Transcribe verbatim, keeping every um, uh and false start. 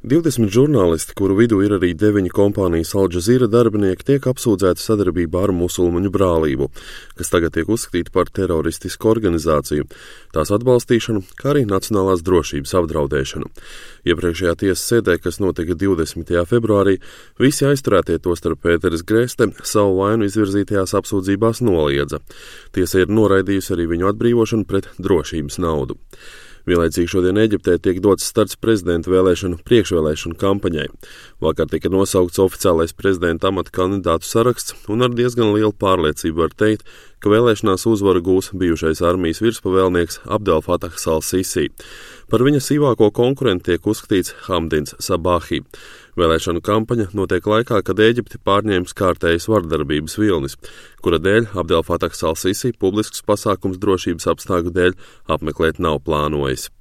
divdesmit žurnālisti, kuru vidū ir arī deviņi kompānijas Al Jazeera darbinieki, tiek apsūdzēti sadarbībā ar musulmaņu brālību, kas tagad tiek uzskatīta par teroristisku organizāciju, tās atbalstīšanu, kā arī nacionālās drošības apdraudēšanu. Iepriekšējā tiesas sēdē, kas notika divdesmitajā februārī, visi aizturētie, tostarp Pēteris Greste, savu vainu izvirzītajās apsūdzībās noliedza. Tiesa ir noraidījusi arī viņu atbrīvošanu pret drošības naudu. Vienlaicīgi šodien Ēģiptē tiek dots starts prezidenta vēlēšanu priekšvēlēšanu kampaņai. Vakar tika nosaukts oficiālais prezidenta amata kandidātu saraksts, un ar diezgan lielu pārliecību var teikt, ka vēlēšanās uzvaru gūs bijušais armijas virspavēlnieks Abdel Fatahs al-Sisi. Par viņa sīvāko konkurentu tiek uzskatīts Hamdins Sabahi. Vēlēšanu kampaņa notiek laikā, kad Ēģipti pārņēmis kārtējas vardarbības vilnis, kura dēļ Abdel Fatahs al-Sisi publisks pasākums drošības apstākļu dēļ apmeklēt nav plānojis.